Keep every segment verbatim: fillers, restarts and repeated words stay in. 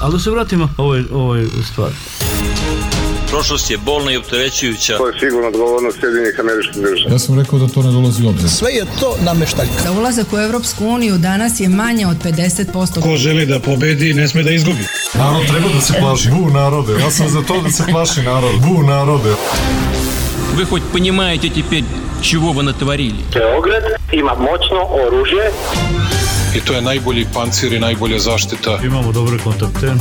Ali da se vratimo ovoj, ovoj stvari. Prošlost je bolna i opterećujuća. To je sigurno odgovornost Sjedinjenih Američkih Država. Ja sam rekao da to ne dolazi u obzir. Sve je to nameštaljka. Za ulazak u Evropsku uniju danas je manje od pedeset posto. Ko želi da pobedi, ne sme da izgubi. Narod treba da se plaši. Bu narode. Ja sam za to da se plaši narod. Bu narode. Вы хоть понимаете теперь, чего вы натворили? Beograd ima moćno oružje. I to je najbolji pancir i najbolja zaštita. Imamo dobre kontakte.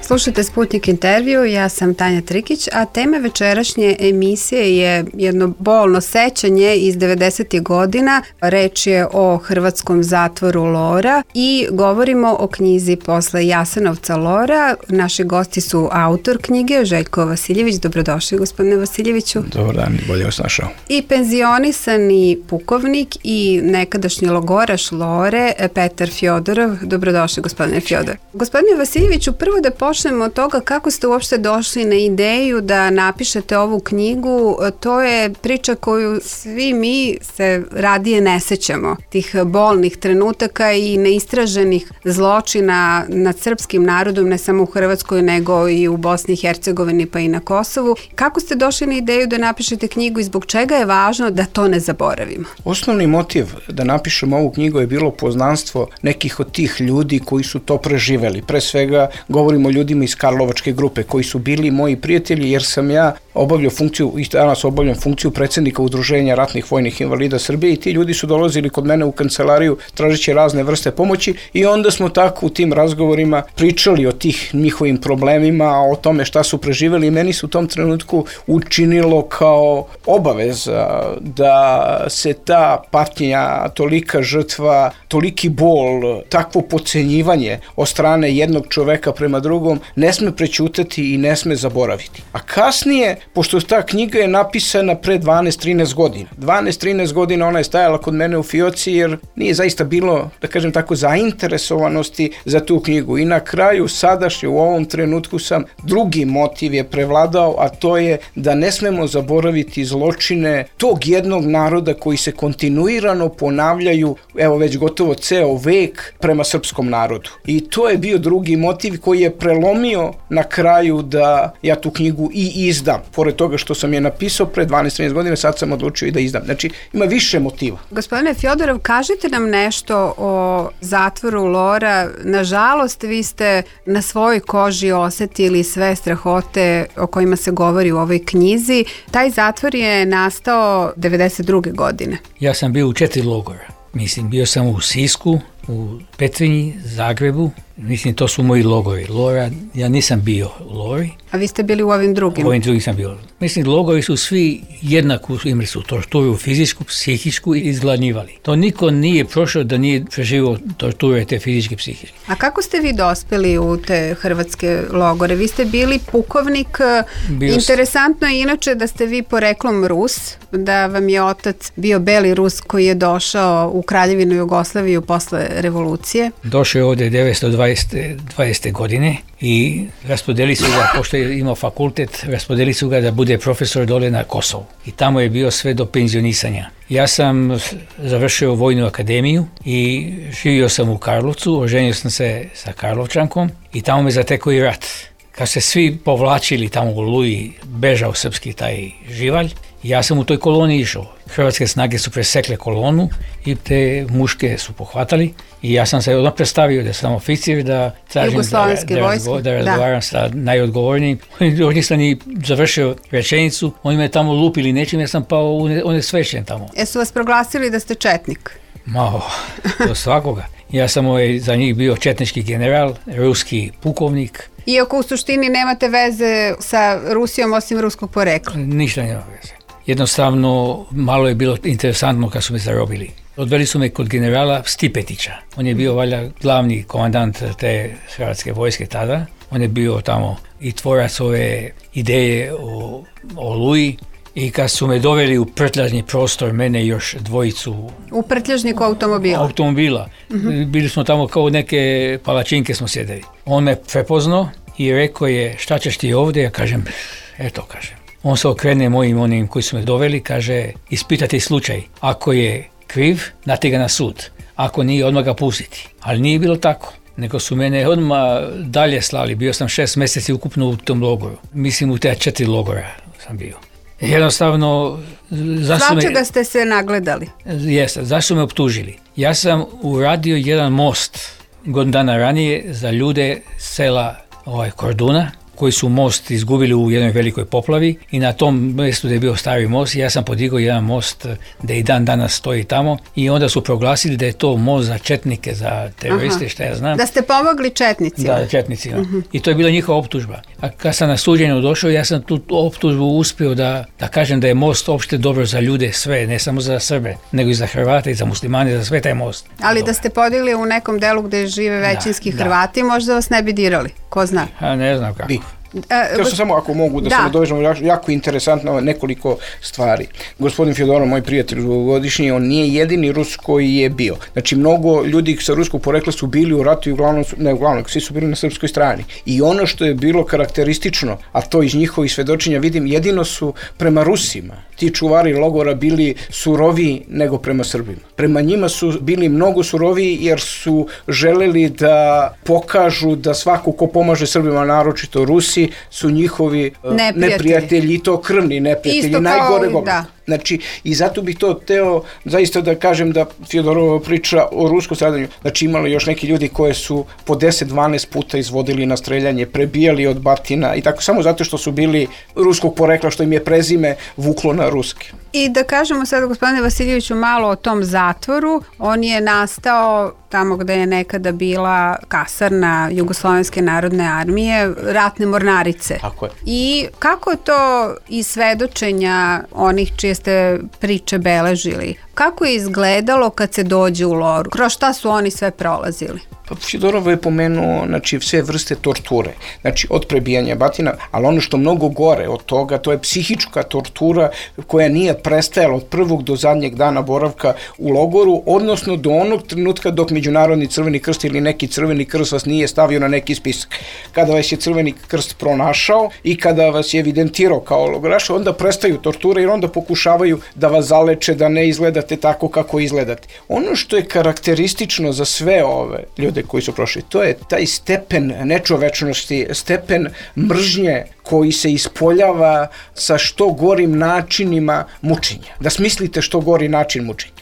Slušajte Sputnik intervju, ja sam Tanja Trikić, a tema večerašnje emisije je jedno bolno sećanje iz devedesetih godina. Reč je o hrvatskom zatvoru Lora i govorimo o knjizi Posle Jasenovca Lora. Naši gosti su autor knjige, Željko Vasiljević. Dobrodošli, gospodine Vasiljeviću. Dobar dan, bolje vas našao. I penzionisani pukovnik i nekadašnji logoraš Lore, Petar Fjodorov. Dobrodošli, gospodine Fjodorov. Gospodine Vasiljeviću, prvo da počnemo od toga kako ste uopšte došli na ideju da napišete ovu knjigu. To je priča koju svi mi se radije ne sećamo. Tih bolnih trenutaka i neistraženih zločina nad srpskim narodom, ne samo u Hrvatskoj, nego i u Bosni i Hercegovini pa i na Kosovu. Kako ste došli na ideju da napišete knjigu i zbog čega je važno da to ne zaboravimo? Osnovni motiv da napišem ovu knjigu je bilo poznanstvo nekih od tih ljudi koji su to preživeli. Pre svega govorimo o ljudima iz Karlovačke grupe koji su bili moji prijatelji, jer sam ja obavljao funkciju, i danas obavljam funkciju predsjednika Udruženja ratnih vojnih invalida Srbije i ti ljudi su dolazili kod mene u kancelariju tražeći razne vrste pomoći i onda smo tako u tim razgovorima pričali o tih njihovim problemima, o tome šta su preživeli i meni su u tom trenutku učinilo kao obaveza da se ta patnja, tolika žrtva, toliki bol, takvo podcenjivanje od strane jednog čoveka prema drugom ne sme prećutati i ne sme zaboraviti. A kasnije, pošto ta knjiga je napisana pre dvanaest trinaest godina, dvanaest trinaest godina ona je stajala kod mene u fioci jer nije zaista bilo, da kažem tako, zainteresovanosti za tu knjigu. I na kraju, sadašnje, u ovom trenutku sam, drugi motiv je prevladao, a to je da ne smemo zaboraviti zločine tog jednog naroda koji se kontinuirano ponavljaju, evo već gotovo ceo vek, prema srpskom narodu. I to je bio drugi motiv koji je prelomio na kraju da ja tu knjigu i izdam. Pored toga što sam je napisao pre dvanaest trinaest godina, sad sam odlučio i da izdam. Znači, ima više motiva. Gospodine Fjodorov, kažite nam nešto o zatvoru Lora. Nažalost, vi ste na svojoj koži osetili sve strahote o kojima se govori u ovoj knjizi. Taj zatvor je nastao devedeset druge godine. Ja sam bio u četiri logora. Mislim, bio sam u Sisku, u Petrinji, Zagrebu. Mislim, to su moji logori. Lora, ja nisam bio u Lori. A vi ste bili u ovim drugim? U ovim drugim sam bio. Mislim, logori su svi jednako, imali su torturu fizičku, psihičku i izgladnjivali. To niko nije prošao da nije preživio torture te fizičke i psihičke. A kako ste vi dospeli u te hrvatske logore? Vi ste bili pukovnik. Bio Interesantno je inače da ste vi poreklom Rus, da vam je otac bio beli Rus koji je došao u Kraljevinu Jugoslaviju posle revolucije. Došao je ovdje devetsto dvadesete godine i raspodeli su ga, pošto je imao fakultet, raspodeli su ga da bude profesor dole na Kosovu. I tamo je bio sve do penzionisanja. Ja sam završio vojnu akademiju i živio sam u Karlovcu, oženio sam se sa Karlovčankom i tamo me zatekao i rat. Kad se svi povlačili tamo u Oluji, bežao srpski taj živalj, ja sam u toj koloni išao. Hrvatske snage su presekle kolonu i te muške su pohvatali i ja sam se odmah predstavio da sam oficir, da tražim da, da, razgo, da razgovaram da. sa najodgovornijim. Oni nisam ni završio rečenicu, oni me tamo lupili nečim, ja sam pao u ne, one svešen tamo. Jesu vas proglasili da ste četnik? Mao, do svakoga. Ja sam ovaj, za njih bio četnički general, ruski pukovnik. Iako u suštini nemate veze sa Rusijom osim ruskog porekla? Ništa nema veze. Jednostavno, malo je bilo interesantno kad su me zarobili. Odveli su me kod generala Stipetića. On je bio valjda glavni komandant te hrvatske vojske tada. On je bio tamo i tvorac ove ideje o Oluji. I kad su me doveli u prtljažni prostor, mene i još dvojicu... U prtljažniku automobila? Automobila. Uh-huh. Bili smo tamo kao neke palačinke smo sjedeli. On me prepoznao i rekao je, šta ćeš ti ovdje? Ja kažem, eto kažem. On se okrene mojim onim koji su me doveli, kaže, ispitati slučaj. Ako je kriv, dati ga na sud. ako nije odmah ga pustiti. Ali nije bilo tako. Nego su mene odmah dalje slali. Bio sam šest mjeseci ukupno u tom logoru. Mislim u te četiri logora sam bio. Jednostavno... Svačega me, ste se nagledali? Jeste. Zašto su me optužili? Ja sam uradio jedan most godinu dana ranije za ljude sela ovaj, Korduna, koji su most izgubili u jednoj velikoj poplavi i na tom mjestu gdje je bio stari most, ja sam podigao jedan most da i dan danas stoji tamo i onda su proglasili da je to most za četnike, za teroriste, šta ja znam. Da ste pomogli četnicima? Da, četnicima. Uh-huh. I to je bila njihova optužba. A kad sam na suđenju došao, ja sam tu optužbu uspio da, da kažem da je most opšte dobro za ljude sve, ne samo za Srbe, nego i za Hrvate i za muslimane, za sve taj most. Ali dobro. Da ste podigli u nekom delu gdje žive većinski da, Hrvati, da. Možda vas ne bi dirali, ko zna? A ne znam kako. Bi. Htio sam samo, ako mogu, da, da. se nadovežem, jako interesantno nekoliko stvari. Gospodin Fjodorov, moj prijatelj dugogodišnji, on nije jedini Rus koji je bio. Znači, mnogo ljudi sa ruskog porekla su bili u ratu i uglavnom, ne uglavnom, svi su bili na srpskoj strani. I ono što je bilo karakteristično, a to iz njihovih svedočenja vidim, jedino su prema Rusima ti čuvari logora bili suroviji nego prema Srbima. Prema njima su bili mnogo suroviji jer su želeli da pokažu da svako ko pomaže Srbima, naročito Rusi, su njihovi neprijatelji, neprijatelji i to krvni neprijatelji, isto najgore kao, da. Znači, i zato bih to teo zaista da kažem da Fjodorova priča o ruskom stradanju. Znači, imali još neki ljudi koje su po deset dvanaest puta izvodili na streljanje, prebijali od batina i tako, samo zato što su bili ruskog porekla, što im je prezime vuklo na ruski. I da kažemo sad, gospodine Vasiljeviću, malo o tom zatvoru. On je nastao tamo gde je nekada bila kasarna Jugoslovenske narodne armije, ratne mornarice. Tako je. I kako je to iz svedočenja onih čije ste priče beležili? Kako je izgledalo kad se dođe u loru? Kroz šta su oni sve prolazili? Pa Fjodorov je pomenuo, znači, sve vrste torture, znači od prebijanja batina, ali ono što mnogo gore od toga, to je psihička tortura koja nije prestajala od prvog do zadnjeg dana boravka u logoru, odnosno do onog trenutka dok Međunarodni crveni krst ili neki crveni krst vas nije stavio na neki spisak. Kada vas je crveni krst pronašao i kada vas je evidentirao kao logoraša, onda prestaju torture jer onda pokušavaju da vas zaleče, da ne izgledate tako kako izgledate. Ono što je karakteristično za sve ove ljude koji su prošli, to je taj stepen nečovečnosti, stepen mržnje koji se ispoljava sa što gorim načinima mučenja. Da smislite što gori način mučenja.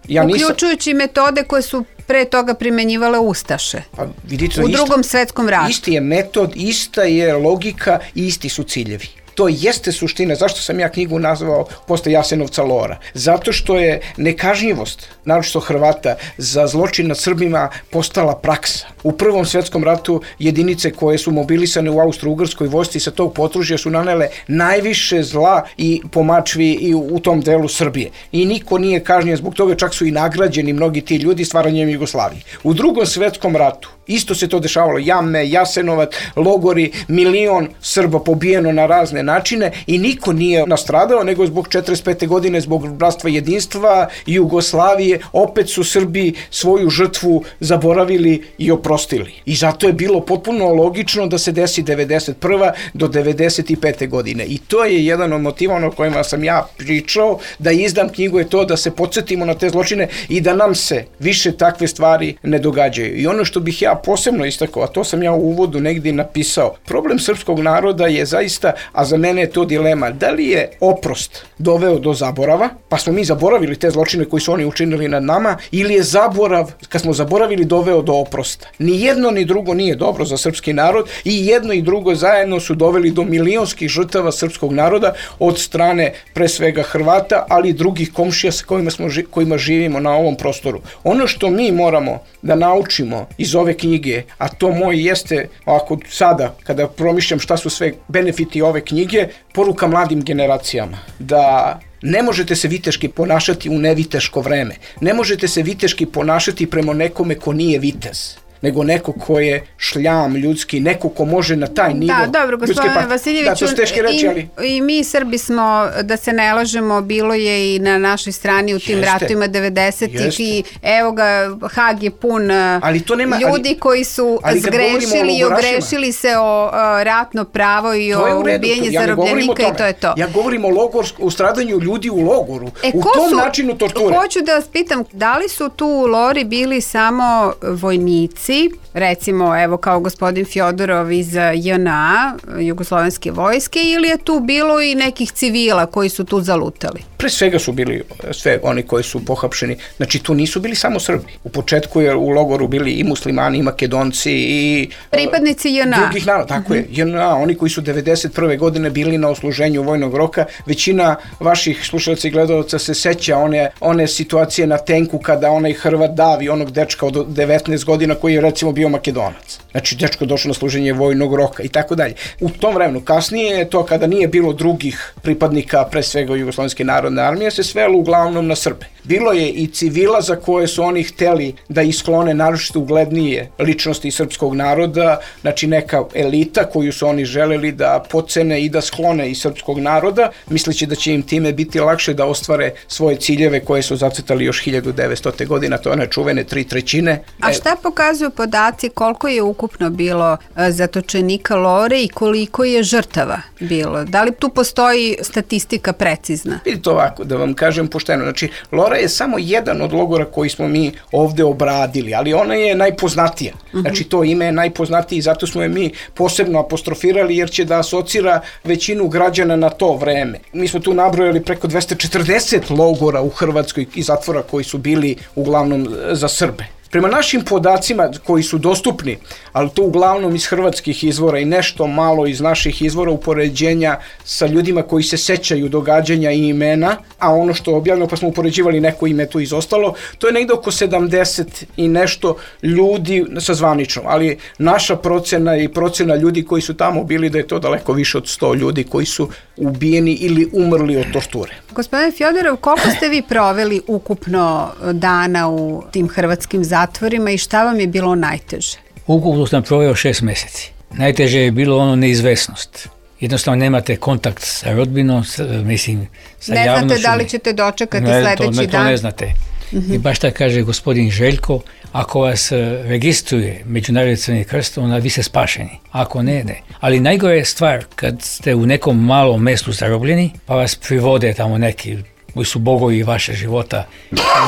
Ja uključujući nisam... metode koje su pre toga primenjivale ustaše. Pa, vidite, u isto, drugom svetskom ratu. Isti je metod, ista je logika i isti su ciljevi. To jeste suština. Zašto sam ja knjigu nazvao posle Jasenovca lora? Zato što je nekažnjivost, naročito Hrvata, za zločin nad Srbima postala praksa. U Prvom svjetskom ratu jedinice koje su mobilisane u Austro-Ugrskoj vojsci sa tog potružja su nanele najviše zla i pomačvi i u tom delu Srbije. I niko nije kažnjen zbog toga, čak su i nagrađeni mnogi ti ljudi stvaranjem Jugoslavije. U Drugom svjetskom ratu isto se to dešavalo. Jame, Jasenovac, logori, milion Srba pobijeno na razne načine i niko nije nastradao, nego zbog četrdeset pete godine, zbog bratstva i jedinstva Jugoslavije, opet su Srbi svoju žrtvu zaboravili i oprostili. I zato je bilo potpuno logično da se desi devedeset prve do devedeset pete godine. I to je jedan od motiva o kojima sam ja pričao, da izdam knjigu je to da se podsjetimo na te zločine i da nam se više takve stvari ne događaju. I ono što bih ja posebno istakao, a to sam ja u uvodu negdje napisao, problem srpskog naroda je zaista, a za mene je to dilema, da li je oprost doveo do zaborava, pa smo mi zaboravili te zločine koji su oni učinili nad nama, ili je zaborav, kad smo zaboravili, doveo do oprosta. Ni jedno ni drugo nije dobro za srpski narod i jedno i drugo zajedno su doveli do milionskih žrtava srpskog naroda od strane pre svega Hrvata, ali i drugih komšija sa kojima, smo, kojima živimo na ovom prostoru. Ono što mi moramo da naučimo iz ove knjige, a to moj jeste, ako sada, kada promišljam šta su sve benefiti ove knjige, poruka mladim generacijama, da ne možete se viteški ponašati u neviteško vreme. Ne možete se viteški ponašati prema nekome ko nije vitez. nego neko ko je šljam ljudski, neko ko može na taj nivo. Da, dobro, gospodine Vasiljeviću, da, to su teške reči, ali... i, i mi Srbi smo, da se ne lažemo, bilo je i na našoj strani u tim jeste, ratovima devedesetih i evo ga, Hag je pun ali to nema, ljudi ali, koji su zgrešili i ogrešili se o uh, ratno pravo i o ubijanje ja zarobljenika i to je to. Ja govorim o, logor, o stradanju ljudi u logoru, e, u tom su, načinu torture. Hoću da vas pitam, da li su tu u Lori bili samo vojnici, recimo evo kao gospodin Fjodorov iz J N A, Jugoslovenske vojske, ili je tu bilo i nekih civila koji su tu zalutali? Pre svega su bili sve oni koji su pohapšeni, znači tu nisu bili samo Srbi. U početku je u logoru bili i muslimani, i makedonci, i pripadnici J N A. Drugih naroda, tako je, J N A, oni koji su devedeset prve godine bili na osluženju vojnog roka. Većina vaših slušalaca i gledalaca se seća one, one situacije na tenku kada onaj Hrvat davi onog dečka od devetnaest godina koji je recimo bio Makedonac. Znači dečko došao na služenje vojnog roka i tako dalje. U tom vremenu, kasnije je to kada nije bilo drugih pripadnika, pre svega Jugoslovenske narodne armije, se svelo uglavnom na Srbe. Bilo je i civila za koje su oni hteli da isklone naročito uglednije ličnosti srpskog naroda, znači neka elita koju su oni želeli da pocene i da sklone iz srpskog naroda, misleći da će im time biti lakše da ostvare svoje ciljeve koje su zacrtali još hiljadu devetstote godina, to je one čuvene tri trećine. A šta pokazuju podaci koliko je ukupno bilo zatočenika Lore i koliko je žrtava bilo? Da li tu postoji statistika precizna? Vidite ovako, da vam kažem pošteno, znači Lora je samo jedan od logora koji smo mi ovde obradili, ali ona je najpoznatija. Uh-huh. Znači to ime je najpoznatije i zato smo je mi posebno apostrofirali jer će da asocira većinu građana na to vreme. Mi smo tu nabrojali preko dvesta četrdeset logora u Hrvatskoj i zatvora koji su bili uglavnom za Srbe. Prema našim podacima koji su dostupni, ali to uglavnom iz hrvatskih izvora i nešto malo iz naših izvora upoređenja sa ljudima koji se sećaju događanja i imena, a ono što je objavljeno pa smo upoređivali neko ime tu izostalo, to je negde oko sedamdeset i nešto ljudi sa zvaničnom, ali naša procena i procena ljudi koji su tamo bili da je to daleko više od sto ljudi koji su ubijeni ili umrli od torture. Gospodine Fjodorov, koliko ste vi proveli ukupno dana u tim hrvatskim zatvorima i šta vam je bilo najteže? Ukupno sam proveo šest meseci. Najteže je bilo ono neizvesnost. Jednostavno nemate kontakt sa rodbinom, sa, mislim, sa ne javnošću. Ne znate da li ćete dočekati ne, sledeći to, ne, dan? To ne znate. Uh-huh. I baš tako kaže gospodin Željko, ako vas registruje Međunarodni Crveni krst, onda vi ste spašeni. Ako ne, ne. Ali najgore je stvar kad ste u nekom malom mestu zarobljeni, pa vas privode tamo neki koji su bogovi vaše života.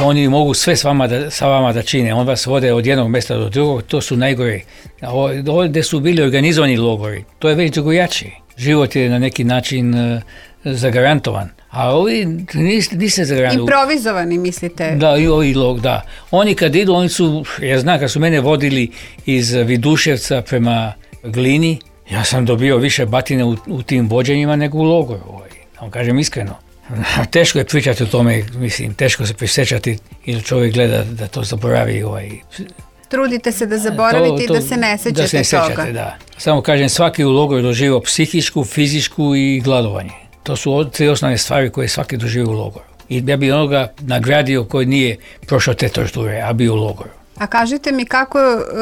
Oni mogu sve s vama da, sa vama da čine. On vas vode od jednog mesta do drugog, to su najgore. Ovdje su bili organizovani logori, to je već drugojačije. Život je na neki način uh, zagarantovan. A ovi niste, niste zagarantovani. Improvizovani, mislite? Da, i ovi log, da. Oni kad idu, oni su, ja znam, kad su mene vodili iz Viduševca prema Glini, ja sam dobio više batine u, u tim vođenjima nego u logoru. Ovaj. Da vam kažem iskreno. Teško je pričati o tome, mislim, teško se prisjećati ili čovjek gleda da to zaboravi. Ovaj. Trudite se da zaboravite to, to, i da se ne sećate da se ne sećate, toga. Da. Samo kažem, svaki u logoru doživio psihičku, fizičku i gladovanje. To su tri osnovne stvari koje svaki doživio u logoru. I ja bi onoga nagradio koji nije prošao te torture, a bio u logoru. A kažite mi kako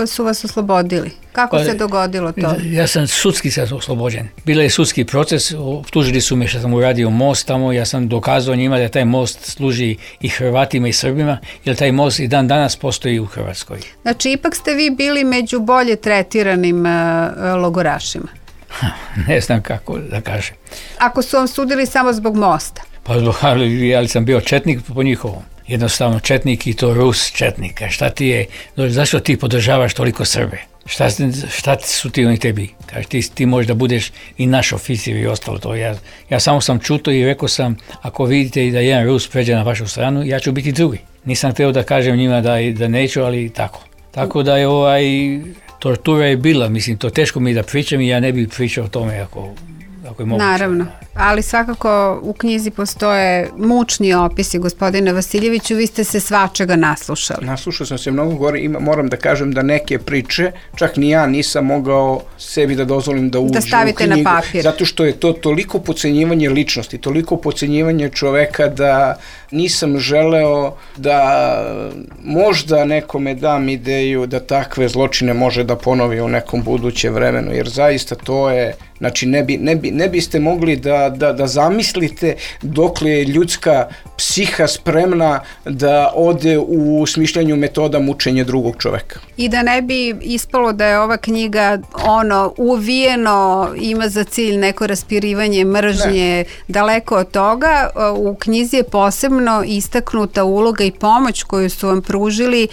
su vas oslobodili? Kako pa, se dogodilo to? Ja sam sudski sad oslobođen. Bila je sudski proces, optužili su me što sam uradio most tamo, ja sam dokazao njima da taj most služi i Hrvatima i Srbima, jer taj most i dan danas postoji u Hrvatskoj. Znači, ipak ste vi bili među bolje tretiranim uh, logorašima? Ne znam kako da kažem. Ako su vam sudili samo zbog mosta? Pa ali, ali sam bio četnik po njihovom. Jednostavno četnik i to Rus četnika. Šta ti je, zašto ti podržavaš toliko Srbe? Šta, šta su ti oni tebi? Kaže, ti, ti možeš da budeš i naš oficir i ostalo to. Ja, ja samo sam čuto i rekao sam, ako vidite da jedan Rus pređe na vašu stranu, ja ću biti drugi. Nisam htio da kažem njima da, da neću, ali tako. Tako da je ovaj, tortura je bila, mislim, to teško mi da pričam i ja ne bih pričao o tome ako, ako je moguće. Naravno. ali svakako u knjizi postoje mučni opisi, gospodine Vasiljeviću, vi ste se svačega naslušali. Naslušao sam se mnogo gore, ima, moram da kažem da neke priče, čak ni ja nisam mogao sebi da dozvolim da uđe da stavite u knjigu, na papir. zato što je to toliko podcenjivanje ličnosti, toliko podcenjivanje čoveka da nisam želeo da možda nekome dam ideju da takve zločine može da ponovi u nekom budućem vremenu, jer zaista to je, znači ne, bi, ne, bi, ne biste mogli da, da, da zamislite dokle je ljudska psiha spremna da ode u smišljanju metoda mučenja drugog čoveka. I da ne bi ispalo da je ova knjiga ono uvijeno ima za cilj neko raspirivanje mržnje, ne. Daleko od toga, u knjizi je posebno istaknuta uloga i pomoć koju su vam pružili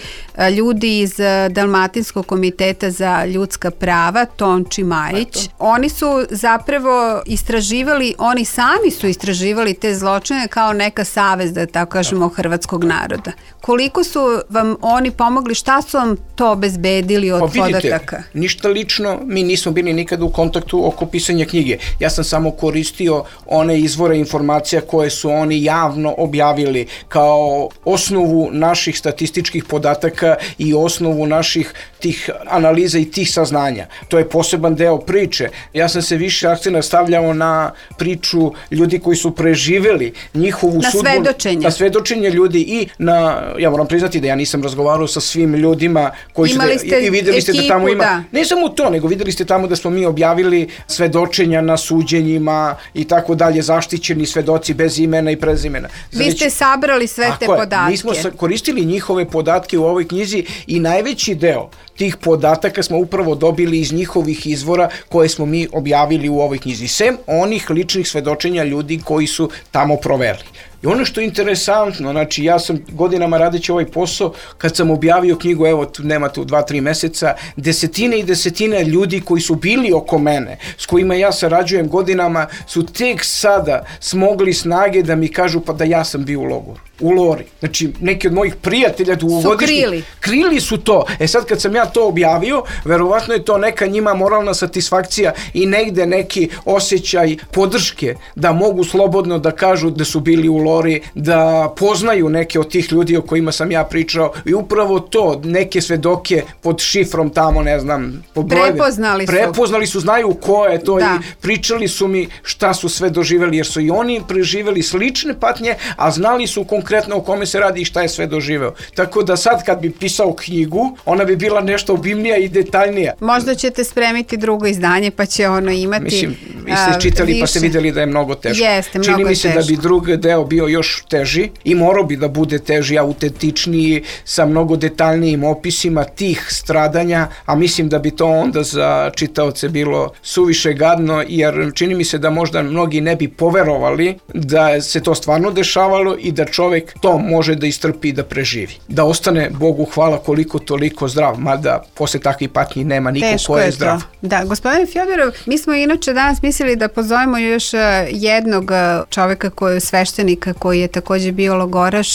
ljudi iz Dalmatinskog komiteta za ljudska prava, Tonči Majić. Oni su zapravo istraživali, oni sami su istraživali te zločine kao neka savez, da tako kažemo, hrvatskog naroda. Koliko su vam oni pomogli, šta su vam to obezbedili od pa vidite, podataka? Ništa lično, mi nismo bili nikada u kontaktu oko pisanja knjige. Ja sam samo koristio one izvore informacija koje su oni javno objavili kao osnovu naših statističkih podataka i osnovu naših tih analiza i tih saznanja. To je poseban deo priče. Ja sam se više akcenta stavljao na priču ljudi koji su preživeli njihovu na sudbu. Svedočenje. Na svedočenje ljudi i na, ja moram priznati da ja nisam razgovarao sa svim ljudima koji imali su, ste i videli ekipu, ste da tamo ima, da. Ne samo to, nego videli ste tamo da smo mi objavili svedočenja na suđenjima i tako dalje, zaštićeni svedoci bez imena i prezimena. Vi Znači, ste sabrali sve te je, podatke. Mi smo koristili njihove podatke u ovoj knjizi i najveći deo tih podataka smo upravo dobili iz njihovih izvora koje smo mi objavili u ovoj knjizi. Sem onih ličnih svedočenja ljudi koji su tamo proveli. I ono što je interesantno, znači ja sam godinama radeći ovaj posao, kad sam objavio knjigu, evo tu, nema tu dva, tri meseca, desetine i desetine ljudi koji su bili oko mene, s kojima ja sarađujem godinama, su tek sada smogli snage da mi kažu pa da ja sam bio u logoru. U Lori. Znači, neki od mojih prijatelja dugogodišnjih su krili. Krili su to. E sad kad sam ja to objavio, verovatno je to neka njima moralna satisfakcija i negde neki osjećaj podrške da mogu slobodno da kažu da su bili u Lori, da poznaju neke od tih ljudi o kojima sam ja pričao i upravo to, neke svedoke pod šifrom tamo, ne znam, pod brojeve. Prepoznali su. Prepoznali su, znaju ko je to da. I pričali su mi šta su sve doživeli, jer su i oni preživeli slične patnje, a znali su konkretno o kome se radi i šta je sve doživeo. Tako da sad kad bi pisao knjigu, ona bi bila nešto obimnija i detaljnija. Možda ćete spremiti drugo izdanje pa će ono imati Mislim, vi ste čitali više. Pa ste videli da je mnogo teško. Jeste, Čini mnogo mi se teško. Da bi drugi deo bio još teži i morao bi da bude teži, autentičniji, sa mnogo detaljnijim opisima tih stradanja, a mislim da bi to onda za čitaoce bilo suviše gadno, jer čini mi se da možda mnogi ne bi poverovali da se to stvarno dešavalo i da čovek to može da istrpi i da preživi. Da ostane, Bogu hvala, koliko toliko zdrav, mada posle takvih patnji nema niko Teško ko je, je zdrav. To. Da, gospodine Fjodorov, mi smo inače danas mislili da pozovemo još jednog čoveka koji je sveštenika, koji je takođe bio logoraš,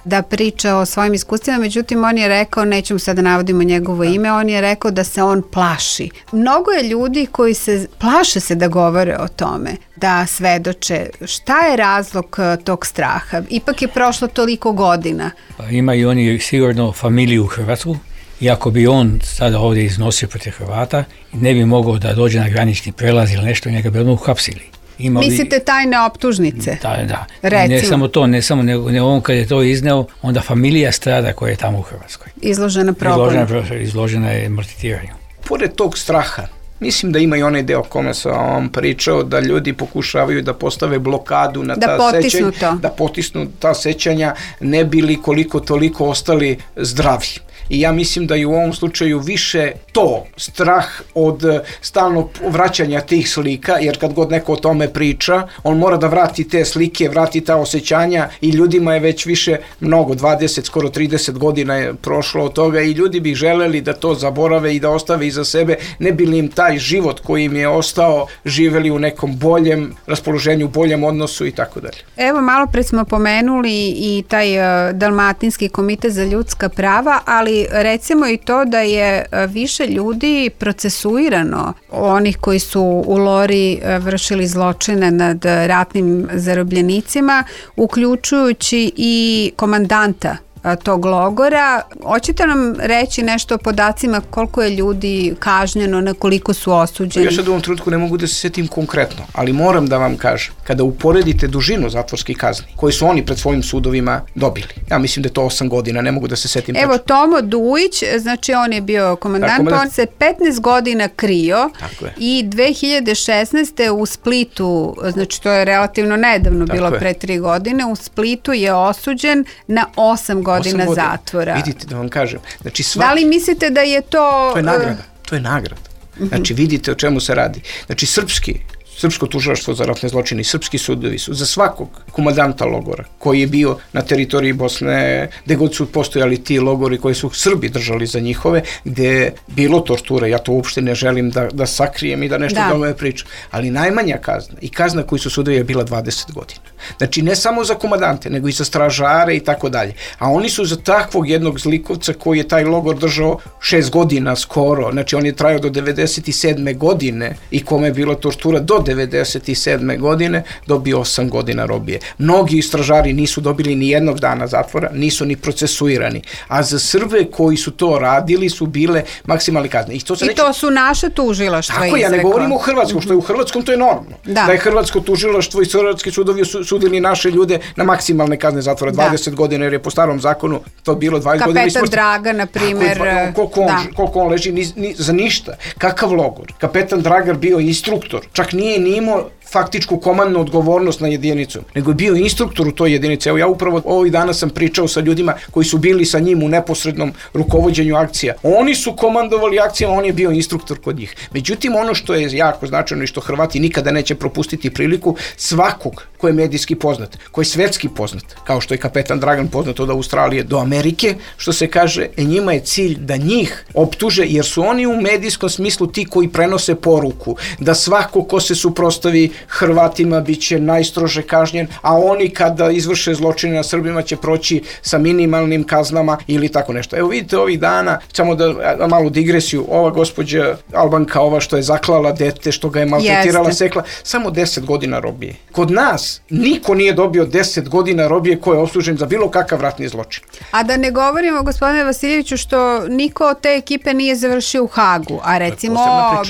da priča o svojim iskustvima, međutim on je rekao, nećemo sad da navodimo njegovo ime, on je rekao da se on plaši. Mnogo je ljudi koji se plaše se da govore o tome, da svedoče. Šta je razlog tog straha? Ipak je prošlo toliko godina. Pa ima i oni sigurno familiju u Hrvatsku. I ako bi on sada ovdje iznosio protiv Hrvata, ne bi mogao da dođe na granični prelaz ili nešto, njega bi odmah uhapsili. Imali, mislite tajne optužnice? Da, da. Recimo. Ne samo to, ne samo nego ne on kad je to izneo, onda familija strada koja je tamo u Hrvatskoj. Izložena progonu. Izložena, izložena je maltretiranju. Pored tog straha, mislim da ima i onaj deo kome sam vam pričao, da ljudi pokušavaju da postave blokadu na da ta sećanja, to. da potisnu ta sećanja, ne bili koliko toliko ostali zdravi. I ja mislim da je u ovom slučaju više to, strah od stalnog vraćanja tih slika, jer kad god neko o tome priča, on mora da vrati te slike, vrati ta osjećanja i ljudima je već više mnogo, dvadeset, skoro trideset godina je prošlo od toga i ljudi bi želeli da to zaborave i da ostave iza sebe, ne bi li im taj život koji im je ostao živeli u nekom boljem raspoloženju, boljem odnosu i tako dalje. Evo, malo pred smo pomenuli i taj uh, Dalmatinski komitet za ljudska prava, ali ali recimo i to da je više ljudi procesuirano, onih koji su u Lori vršili zločine nad ratnim zarobljenicima, uključujući i komandanta tog logora. Hoćete nam reći nešto o podacima koliko je ljudi kažnjeno, na koliko su osuđeni? Ja sad u ovom trenutku ne mogu da se setim konkretno, ali moram da vam kažem, kada uporedite dužinu zatvorskih kazni koje su oni pred svojim sudovima dobili, ja mislim da je to osam godina, ne mogu da se setim. Evo tačno. Tomo Dujić, znači on je bio komandant, komandant. On se petnaest godina krio i dve hiljade šesnaeste. u Splitu, znači to je relativno nedavno tako bilo je. Pre tri godine, u Splitu je osuđen na osam godina godina zatvora. Vidite da vam kažem. Znači, svaki... Da li mislite da je to... To je nagrada. To je nagrada. Znači, vidite o čemu se radi. Znači, srpski, srpsko tužilaštvo za ratne zločine i srpski sudovi su za svakog komandanta logora koji je bio na teritoriji Bosne, gde god su postojali ti logori koji su Srbi držali za njihove, gde je bilo torture, ja to uopšte ne želim da, da sakrijem i da nešto da. Dome pričam, ali najmanja kazna i kazna koju su sudovi je bila dvadeset godina. Znači ne samo za komandante, nego i za stražare i tako dalje. A oni su za takvog jednog zlikovca koji je taj logor držao šest godina skoro, znači on je trajao do devedeset sedme godine i kome je bila tortura do devedeset sedme godine, dobio osam godina robije. Mnogi stražari nisu dobili ni jednog dana zatvora, nisu ni procesuirani. A za Srbe koji su to radili su bile maksimalne kazne. I to, I to su naše tužilaštva izrekla. Tako, ja ne govorim o Hrvatskom, što je u Hrvatskom to je normalno. Da, da je Hrvatsko tužilaštvo i hrvatski sudovi su, sudili naše ljude na maksimalne kazne zatvora dvadeset da. Godina, jer je po starom zakonu to bilo dvadeset godina. Kapetan Draga, na primjer. Koliko on, koliko on leži ni, ni, za ništa. Kakav logor? Kapetan Dragar bio instruktor. Čak nije ni imao faktičku komandnu odgovornost na jedinicu, nego je bio instruktor u toj jedinici. Evo ja upravo ovih dana sam pričao sa ljudima koji su bili sa njim u neposrednom rukovođenju akcija. Oni su komandovali akcijama, on je bio instruktor kod njih. Međutim, ono što je jako značajno i što Hrvati nikada neće propustiti priliku, svakog ko je medijski poznat, ko je svetski poznat, kao što je kapetan Dragan poznat od Australije do Amerike, što se kaže, njima je cilj da njih optuže, jer su oni u medijskom smislu ti koji prenose poruku, da svako ko se suprotstavi Hrvatima biće najstrože kažnjen, a oni kada izvrše zločine na Srbima će proći sa minimalnim kaznama ili tako nešto. Evo vidite ovih dana, samo da, da malu digresiju, ova gospođa Albanka, ova što je zaklala dete, što ga je maltretirala, Jeste. sekla, samo deset godina robije. Kod nas niko nije dobio deset godina robije ko je osuđen za bilo kakav ratni zločin. A da ne govorimo, gospodine Vasiljeviću, što niko od te ekipe nije završio u Hagu, a recimo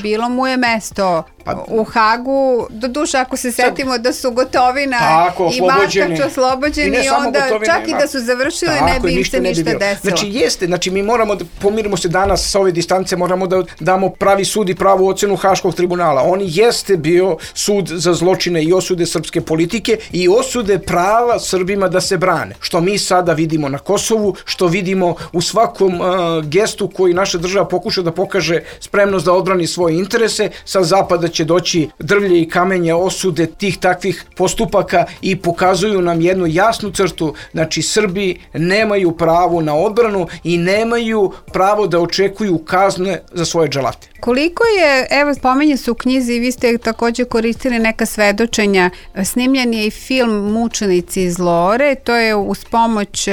bilo mu je mesto Pa, u Hagu, do duše ako se setimo sad, da su Gotovina tako, i Markač oslobođeni i onda Gotovina, čak i da su završili tako, ne bi im se ništa bi desilo. Znači jeste, znači mi moramo da pomirimo se danas sa ove distance, moramo da damo pravi sud i pravu ocenu Haškog tribunala. On jeste bio sud za zločine i osude srpske politike i osude prava Srbima da se brane. Što mi sada vidimo na Kosovu, što vidimo u svakom uh, gestu koji naša država pokuša da pokaže spremnost da odbrani svoje interese, sa zapada će doći drvlje i kamenje osude tih takvih postupaka i pokazuju nam jednu jasnu crtu, znači Srbi nemaju pravo na odbranu i nemaju pravo da očekuju kazne za svoje dželate. Koliko je, evo spomenje se u knjizi i vi ste također koristili neka svedočenja, snimljen je i film Mučenici iz Lore, to je uz pomoć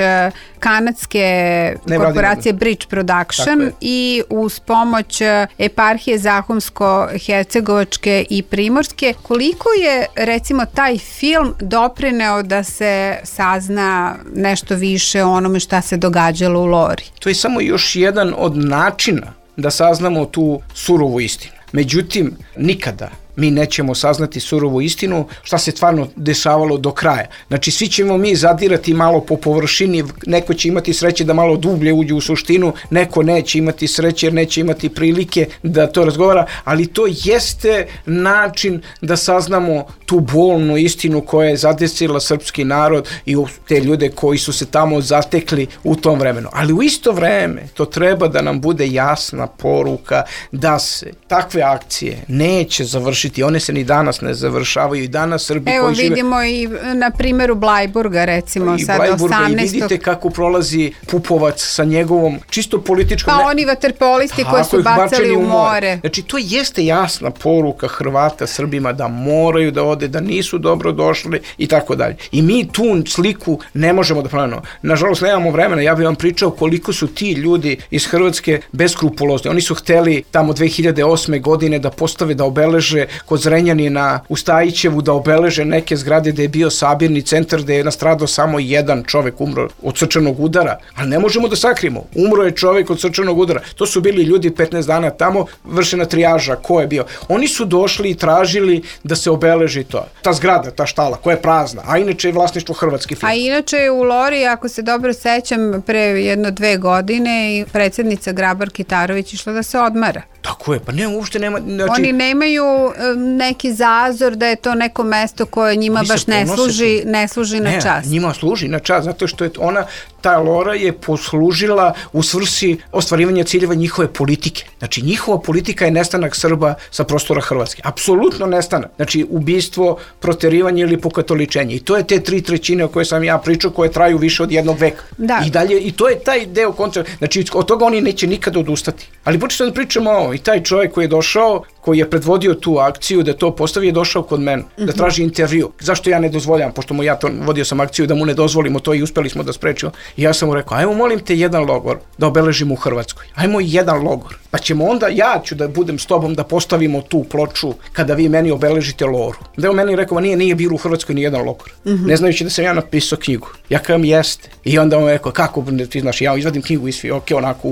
kanadske korporacije Bridge Production i uz pomoć eparhije Zahumsko-Hercegovačke i Primorske. Koliko je recimo taj film doprineo da se sazna nešto više o onome šta se događalo u Lori? To je samo još jedan od načina da saznamo tu surovu istinu. Međutim, nikada mi nećemo saznati surovu istinu šta se stvarno dešavalo do kraja. Znači, svi ćemo mi zadirati malo po površini, neko će imati sreće da malo dublje uđe u suštinu, neko neće imati sreće jer neće imati prilike da to razgovara, ali to jeste način da saznamo tu bolnu istinu koja je zadesila srpski narod i te ljude koji su se tamo zatekli u tom vremenu. Ali u isto vreme to treba da nam bude jasna poruka da se takve akcije neće završiti završiti. One se ni danas ne završavaju i danas Srbi Evo koji žive... vidimo i na primjeru Blajburga recimo I sad Blajburga, osamnaestog. I vidite kako prolazi Pupovac sa njegovom čisto političkom... Pa oni vaterpolisti koji su bacali u more. Znači to jeste jasna poruka Hrvata Srbima da moraju da ode, da nisu dobro došli i tako dalje. I mi tu sliku ne možemo da promenimo. Nažalost nemamo vremena, ja bih vam pričao koliko su ti ljudi iz Hrvatske beskrupulozni. Oni su hteli tamo dve hiljade osme godine da postave, da obeleže kod Zrenjanina u Stajićevu, da obeleže neke zgrade gde je bio sabirni centar, gde je nastradao samo jedan čovek, umro od srčanog udara, ali ne možemo da sakrimo. Umro je čovek od srčanog udara. To su bili ljudi petnaest dana tamo, vršena trijaža, ko je bio. Oni su došli i tražili da se obeleži to. Ta zgrada, ta štala, koja je prazna, a inače je vlasništvo hrvatski film. A inače je u Lori, ako se dobro sećam, pre jedno dve godine i predsjednica Grabar Kitarović išla da se odmara. Tako je, pa ne, uopšte nema... Znači... Oni nemaju um, neki zazor da je to neko mesto koje njima Oni baš ne služi, ne služi na ne, čast. Njima služi na čast, zato što je ona, ta Lora je poslužila u svrsi ostvarivanja ciljeva njihove politike. Znači, njihova politika je nestanak Srba sa prostora Hrvatske. Apsolutno nestanak. Znači, ubistvo, proterivanje ili pokatoličenje. I to je te tri trećine o koje sam ja pričao, koje traju više od jednog veka. Da. I dalje, i to je taj deo koncepta. Znači, od toga oni neće nikada odustati. Ali počesto da pričamo o i taj čovjek koji je došao, koji je predvodio tu akciju, da to postavi, je došao kod mene, mm-hmm. da traži intervju. Zašto ja ne dozvoljam, pošto mu ja to vodio sam akciju, da mu ne dozvolimo to i uspeli smo da sprečimo. I ja sam mu rekao, ajmo molim te jedan logor da obeležimo u Hrvatskoj. Ajmo jedan logor. Pa ćemo onda, ja ću da budem s tobom da postavimo tu ploču kada vi meni obeležite Loru. Da je on meni rekao, nije, nije bilo u Hrvatskoj ni jedan logor. Mm-hmm. Ne znajući da sam ja napisao knjigu. Ja kažem, jeste. I onda on rekao, kako, ti znaš, ja izvadim knjigu iz Fioke, onako,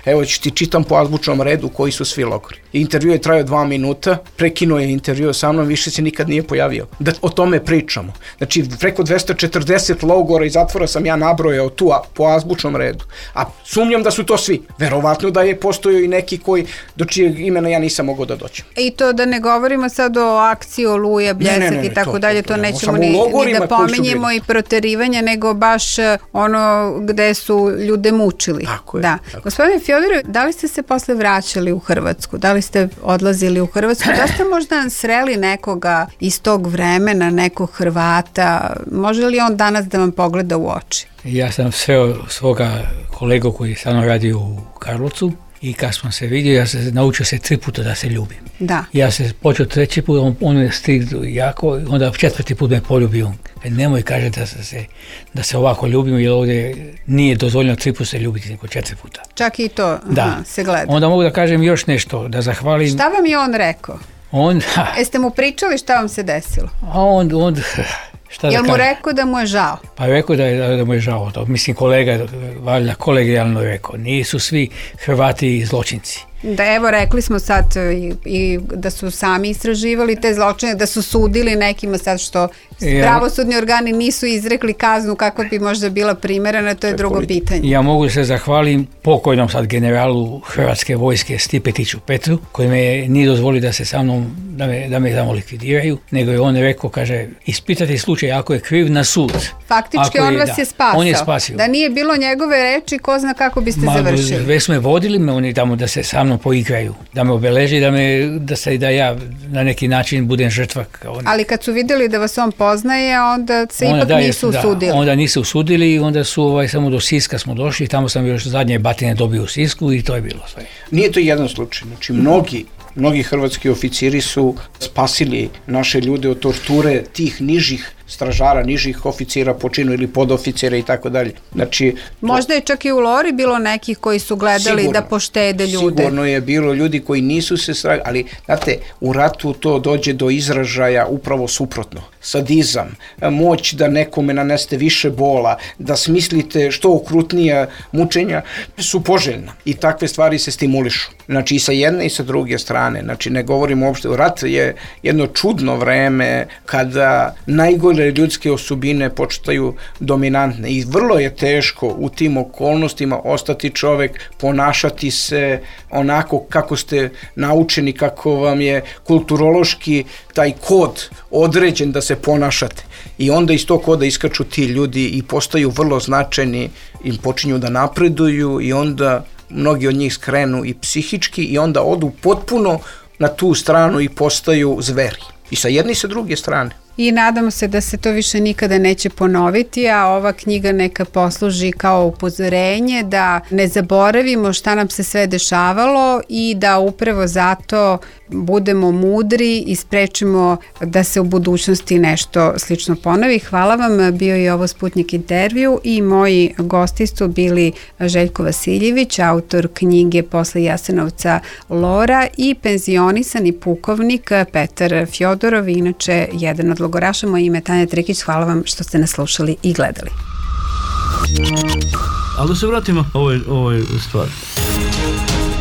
evo ću ti čitam po azbučnom redu koji su svi logori. I intervju je trajao dva minuta, prekinuo je intervju sa mnom, više se nikad nije pojavio. Da o tome pričamo. Znači, preko dvesta četrdeset logora i zatvora sam ja nabrojao tu a, po azbučnom redu. A sumnjam da su to svi. Verovatno da je postojao i neki koji, do čijeg imena ja nisam mogao da dođem. I to da ne govorimo sad o akciji Oluja, Bljesak ne, ne, ne, i tako to, dalje, to, to, to nećemo ni, ni da pominjemo i proterivanja, nego baš ono gde su ljude mučili. Tako je. Da. Tako. Gospodine Fjodore, da li ste se posle vraćali u Hrvatsku? Da li ste odlazili u Hrvatsku? Da ste možda sreli nekoga iz tog vremena, nekog Hrvata? Može li on danas da vam pogleda u oči? Ja sam sreo svoga kolegu koji sa mnom radi u Karlovcu i kad smo se vidio, ja se naučio se tri puta da se ljubim. Da. Ja se počeo treći put, on, on je stigao jako, onda četvrti put me poljubio. Nemoj kaže da se, da se ovako ljubimo, jer ovdje nije dozvoljeno tri puta se ljubiti, nego četiri puta. Čak i to da. Aha, se gleda. Onda mogu da kažem još nešto, da zahvalim... Šta vam je on rekao? On... Jeste mu pričali šta vam se desilo? A on... on šta Jel da mu kažem? rekao da mu je žao? Pa rekao da, je, da mu je žao to. Mislim, kolega, valjda kolegijalno rekao. Nisu svi Hrvati zločinci. Da, evo, rekli smo sad i, i da su sami istraživali te zločine, da su sudili nekima sad što ja, pravosudni organi nisu izrekli kaznu kako bi možda bila primerena, to je drugo pitanje. Ja mogu se zahvalim pokojnom sad generalu Hrvatske vojske Stipetiću Petru, koji me nije dozvolio da se sa mnom, da me, da me tamo likvidiraju, nego je on rekao, kaže, ispitati slučaj ako je kriv na sud. Faktički on je, vas da, je spasao. On je spasio. Da nije bilo njegove reči, ko zna kako biste Ma, završili. Već smo je vodili me oni tamo da se sa mnom poigraju, da me obeleži, da me, da se da ja na neki način budem žrtva. Ali kad su vidjeli da vas on poznaje, onda se onda, ipak da, nisu da, usudili. Onda nisu usudili i onda su ovaj, samo do Siska smo došli, tamo sam još zadnje batine dobio u Sisku i to je bilo sve. Nije to jedan slučaj, znači mnogi Mnogi hrvatski oficiri su spasili naše ljude od torture tih nižih stražara, nižih oficira po činu ili podoficira i tako dalje. Znači, možda je čak i u Lori bilo nekih koji su gledali sigurno, da poštede ljude. Sigurno je bilo ljudi koji nisu se stragali, ali znate, u ratu to dođe do izražaja upravo suprotno. Sadizam, moć da nekome naneste više bola, da smislite što okrutnija mučenja su poželjna i takve stvari se stimulišu. Znači i sa jedne i sa druge strane. Znači ne govorimo uopšte, rat je jedno čudno vreme kada najgore ljudske osobine početaju dominantne i vrlo je teško u tim okolnostima ostati čovek, ponašati se onako kako ste naučeni, kako vam je kulturološki taj kod određen da se ponašate. I onda iz tog koda iskaču ti ljudi i postaju vrlo značajni, im počinju da napreduju i onda mnogi od njih skrenu i psihički i onda odu potpuno na tu stranu i postaju zveri. I sa jedne i sa druge strane. I nadamo se da se to više nikada neće ponoviti, a ova knjiga neka posluži kao upozorenje da ne zaboravimo šta nam se sve dešavalo i da upravo zato budemo mudri i sprečimo da se u budućnosti nešto slično ponovi. Hvala vam, bio je ovo Sputnjik intervju i moji gosti su bili Željko Vasiljević, autor knjige Posle Jasenovca Lora, i penzionisani pukovnik Petar Fjodorov, inače jedan od logoraša. Moje ime je Tanja Trikić, hvala vam što ste nas slušali i gledali. Ali da se vratimo ovoj, ovoj stvari.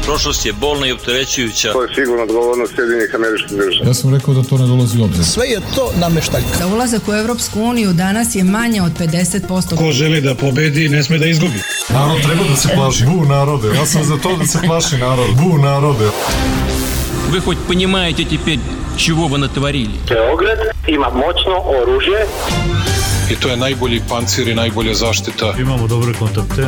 Prošlost je bolna i opterećujuća. To je sigurno odgovornost Sjedinjenih Američkih Država. Ja sam rekao da to ne dolazi u obzir. Sve je to nameštaljka. Za ulazak u Evropsku uniju danas je manje od pedeset posto. Ko želi da pobedi, ne sme da izgubi. Narod treba da se plaši. Bu narode. Ja sam za to da se plaši narod. Bu narode. Вы хоть понимаете теперь, чего вы натворили? Beograd ima moćno oružje. I to je najbolji pancir i najbolja zaštita. Imamo dobre kontakte.